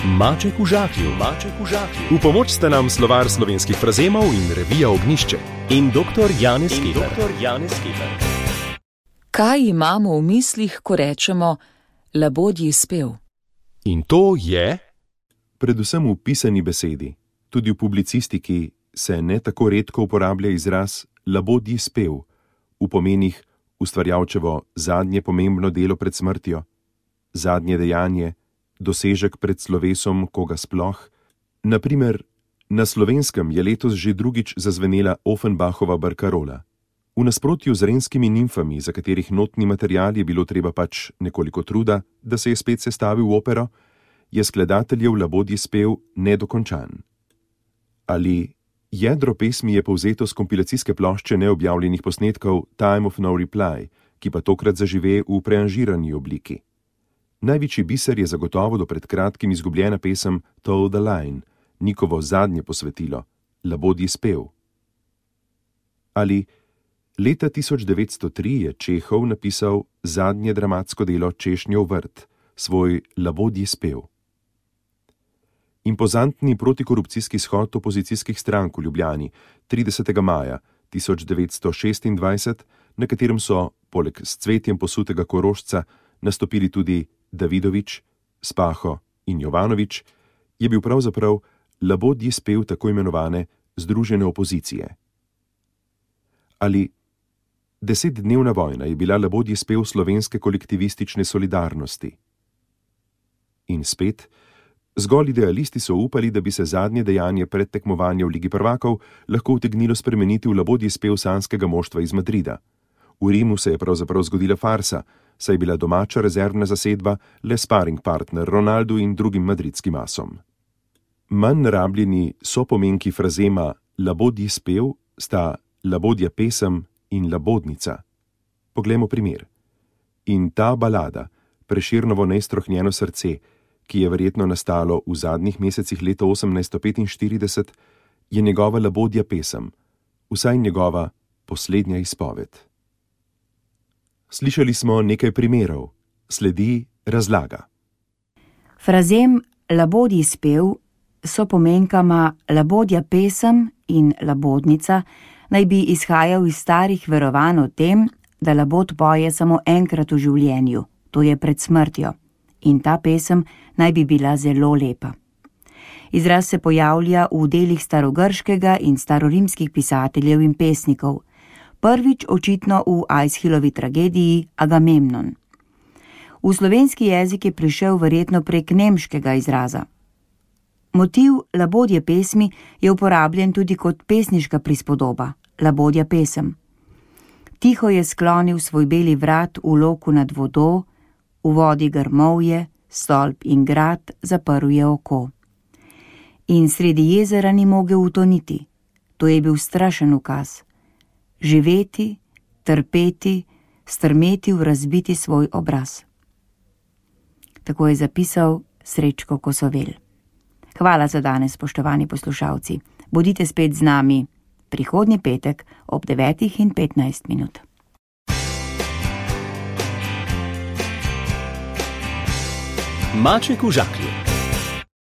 Maček v žaklju. V pomoč sta nam slovar slovenskih frazemov in revija Ognjišče. In dr. Janez Keber. Kaj imamo v mislih, ko rečemo labodji spev? In to je... Predvsem v pisani besedi, tudi v publicistiki, se ne tako redko uporablja izraz labodji spev v pomenih ustvarjalčevo zadnje pomembno delo pred smrtjo, zadnje dejanje, dosežek pred slovesom koga sploh. Na primer, na Slovenskem je letos že drugič zazvenela Offenbachova barkarola. V nasprotju z renskimi nimfami, za katerih notni material je bilo treba pač nekoliko truda, da se je spet sestavil v opero, je skladateljev labodji spev nedokončan. Ali jedro pesmi je povzeto z kompilacijske plošče neobjavljenih posnetkov Time of No Reply, ki pa tokrat zažive v preanžirani obliki. Največji biser je zagotovo do pred kratkim izgubljena pesem Toe the Line, Nikovo zadnje posvetilo, labodji spev. Ali leta 1903 je Čehov napisal zadnje dramatsko delo Češnjev vrt, svoj labodji spev. Impozantni protikorupcijski shod opozicijskih strank v Ljubljani 30. maja 1926, na katerem so, poleg s cvetjem posutega Korošca, nastopili tudi Davidovič, Spaho in Jovanovič, je bil pravzaprav labodji spev tako imenovane združene opozicije. Ali 10-dnevna vojna je bila labodji spev slovenske kolektivistične solidarnosti. In spet, zgolj idealisti so upali, da bi se zadnje dejanje pred tekmovanjem v Ligi prvakov lahko utegnilo spremeniti v labodji spev sanskega moštva iz Madrida. V Rimu se je pravzaprav zgodila farsa, saj je bila domača rezervna zasedba le sparring partner Ronaldu in drugim madridskim asom. Manj rabljeni sopomenki frazema labodji spev sta labodja pesem in labodnica. Poglejmo primer. In ta balada, Prešernovo neiztrohnjeno srce, ki je verjetno nastalo v zadnjih mesecih leta 1845, je njegova labodja pesem, vsaj njegova poslednja izpoved. Slišali smo nekaj primerov, sledi razlaga. Frazem labodji spev so pomenkama labodja pesem in labodnica naj bi izhajal iz starih verovanj o tem, da labod poje samo enkrat v življenju, to je pred smrtjo, in ta pesem naj bi bila zelo lepa. Izraz se pojavlja v delih starogrškega in starorimskih pisateljev in pesnikov, prvič očitno v Aeschylovi tragediji Agamemnon. V slovenski jezik je prišel verjetno prek nemškega izraza. Motiv labodje pesmi je uporabljen tudi kot pesniška prispodoba, labodja pesem. Tiho je sklonil svoj beli vrat v loku nad vodo, v vodi grmovje, stolp in grad, zaprl je oko. In sredi jezera ni mogel utoniti, to je bil strašen ukaz. Živeti, trpeti, strmeti v razbiti svoj obraz. Tako je zapisal Srečko Kosovel. Hvala za danes, spoštovani poslušalci. Bodite spet z nami prihodnji petek ob 9:15. Maček v žaklju.